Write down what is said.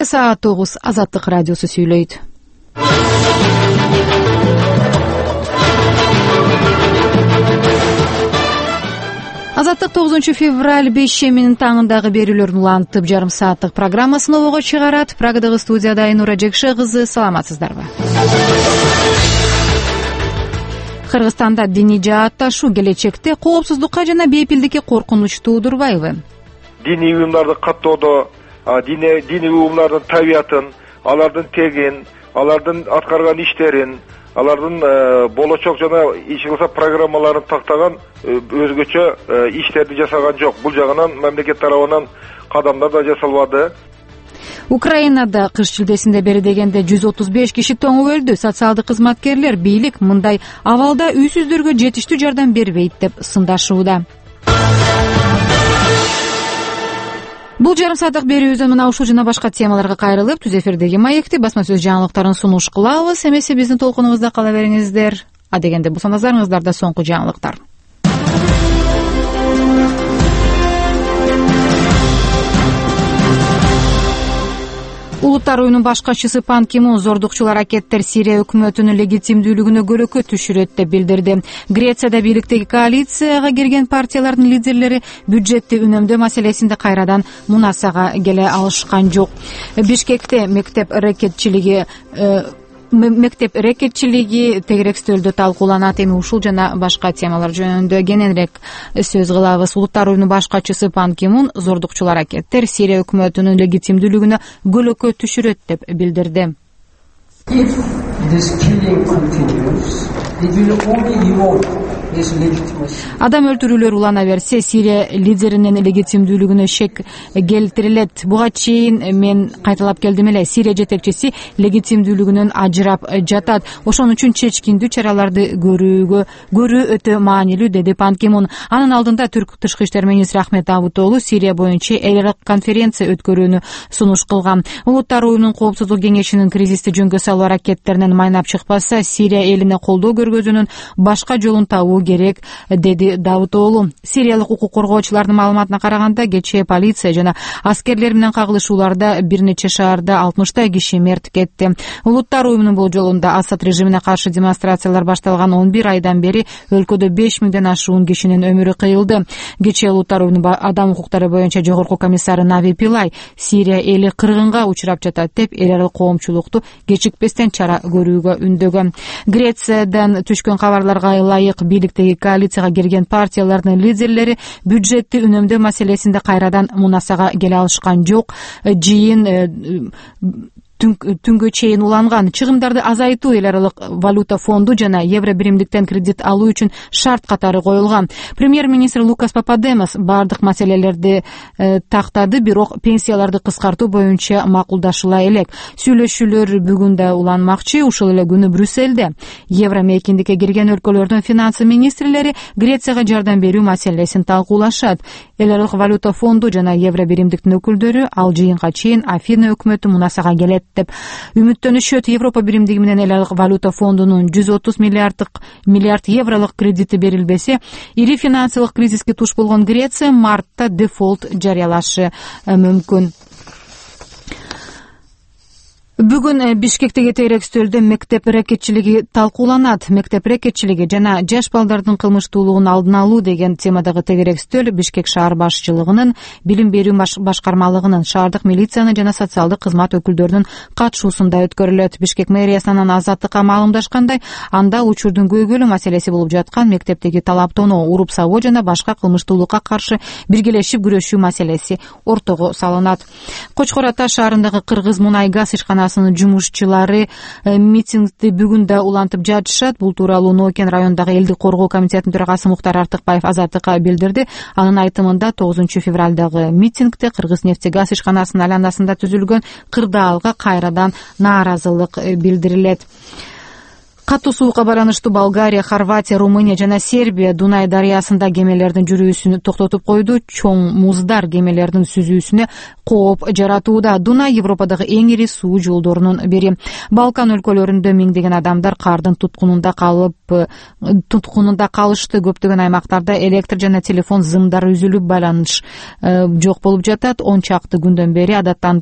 Саат 9 Азаттык радиосу сүйлөйт. Азаттык 9 февраль 5-менин таңындагы берүүлөрүн улантып жарым сааттык программасын обого чыгарат. Прагадагы студияда Айнура Жекше кызы, саламатсыздарбы? Кыргызстанда диний жаатташуу келечекте коопсуздукка жана бейпилдикке коркунуч туудурбайбы? Диний уюмдарды каттоодо диний уюмдардын табиятын, алардын тегин, алардын аткарган иштерин, алардын болочок жана иш кылса программаларын тактаган өзгөчө иштерди жасаган жок. Бул жагынан мамлекет тарабынан кадамдар да жасалбады. Украинада кыш шилдесинде бери дегенде 135 киши тоңуп өлдү. Социалдык кызматкерлер бийлик мындай абалда үйсүздөргө жетиштүү жардам бербейт деп сындашууда. Бул жарым сааттык берүүбүздөн мына ушул жана башка темаларга кайрылып, түз эфирдеги маекти басма сөз жаңылыктарын сунуш кылабыз. Эмесе биздин толкунубузда кала бериңиздер. Адегенде булса назарыңыздарда соңку жаңылыктар. Улуттар уюмунун баш катчысы Пан Ки Мун зордукчул аракеттер Сирия өкмөтүнүн легитимдүүлүгүнө көрөкө түшүрөт деп билдирди. Грецияда бийликтеги коалицияга кирген партиялардын лидерлери бюджетти үнөмдөө маселесинде кайрадан мунасага келе алышкан жок. Бишкекте мектеп рекетчилиги тегерек стөлдө талкууланат. Эми ушул жана башка темалар жөнүндө кененирээк сөз кылабыз. Улуттар уюмунун баш катчысы Пан Ки Мун зордукчул аракеттер Сирия өкмөтүнүн легитимдүүлүгүнө көлөкө түшүрөт деп билдирди. Адам өлтүрүүлөр улана берсе, Сирия лидеринин легитимдүүлүгүнө шек келтирилет. Буга чейин мен кайталап келдим эле. Сирия жетекчиси легитимдүүлүгүнөн ажырап жатат. Ошон үчүн чечкиндүү чараларды көрүү өтө маанилүү, деди Пан Ки Мун. Анын алдында Түрк тышкы иштер министри Ахмет Давутоглу Сирия боюнча эл аралык конференция өткөрүүнү сунуш кылган. Улуттар уюмунун коопсуздук кеңешинин кризисти жөнгө салуу аракеттеринен майнап чыкпаса, Сирия элине колдоо көргөзүүнүн башка жолун табуу керек, деди Давутоглу. Сириялык укук коргоочулардын маалыматына караганда, кечээ полиция жана аскерлер менен кагылышууларда бир нече шаарда 60 киши мерт кетти. Улуттар уюмунун болжолунда Асад режимине каршы демонстрациялар башталган 11 айдан бери өлкөдө 5000ден ашуун кишинин өмүрү кыйылды. Кечээ Улуттар уюмунун адам укуктары боюнча жогорку комиссары Нави Пилай Сирия эли кыргынга учурап жатат деп эл аралык коомчулукту кечикпестен чара көрүүгө үндөгөн. Грециядан түшкөн кабарларга ылайык, бийликтеги коалицияга кирген партиялардын лидерлери бюджетти үнөмдөө маселесинде кайрадан мунасага келе алышкан жок. Жыйын түнгө чейин уланган. Чыгымдарды азайтуу, эл аралык валюта фонду жана евро биримдиктен кредит алуу үчүн шарт катары коюлган. Премьер-министр Лукас Пападемос бардык маселелерди тактады, бирок пенсияларды кыскартуу боюнча макулдашыла элек. Сүйлөшүүлөр бүгүн да уланмакчы. Ушул эле күнү Брюссельде евро мейкиндикке кирген өлкөлөрдүн финансы министрлери Грецияга жардам берүү маселесин талкуулашат. Эл аралык валюта фонду жана евро биримдиктин өкүлдөрү ал жыйынга чейин Афина өкмөтү мунасага келет деп үмүттөнүшөт. Европа биримдиги менен эл аралык валюта фондунун 130 миллиард евролук кредити берилбесе, ири финансылык кризиске туш болгон Греция мартта дефолт жарыялашы мүмкүн. Бүгүн Бишкектеги тегерек стөлдө мектеп рекетчилиги талкууланат. Мектеп рекетчилиги жана жаш балдардын кылмыштуулугун алдын алуу деген темадагы тегерек стөл Бишкек шаар башчылыгынын, билим берүү башкармалыгынын, шаардык милициянын жана социалдык кызмат өкүлдөрүнүн катышуусунда өткөрүлөт. Бишкек мэриасынан Азаттыкка маалымдашкандай, анда учурдун көйгөйлүү маселеси болуп жаткан мектептеги талаптонуу, уруп сабоо жана башка кылмыштуулукка каршы биргелешип күрөшүү маселеси ортого салынат. Кочкор Ата шаарындагы Кыргыз мунай газ ишканасы жумушчулары митингди бүгүн да улантып жатышат. Бул тууралуу Нокен районундагы элдик коргоо комитетинин төрагасы Муктар Артыкбаев Азаттыкка билдирди. Анын айтымында 9 февралдагы митингде Кыргыз нефтегаз ишканасынын айланасында түзүлгөн кырдаалга кайрадан нааразылык билдирилет. Катуу суукка байланыштуу Болгария, Хорватия, Румыния жана Сербия Дунай дарыясында кемелердин жүрүүсүн токтотуп койду. Чоң муздар кемелердин сүзүүсүнө кооп жаратууда. Дунай Европадагы эң ири суу жолдорунун бири. Балкан өлкөлөрүндө миңдеген адамдар кардын туткунунда калышты. Көптөгөн аймактарда электр жана телефон зымдары үзүлүп, байланыш жок болуп жатат. 10 чакты күндөн бери адаттан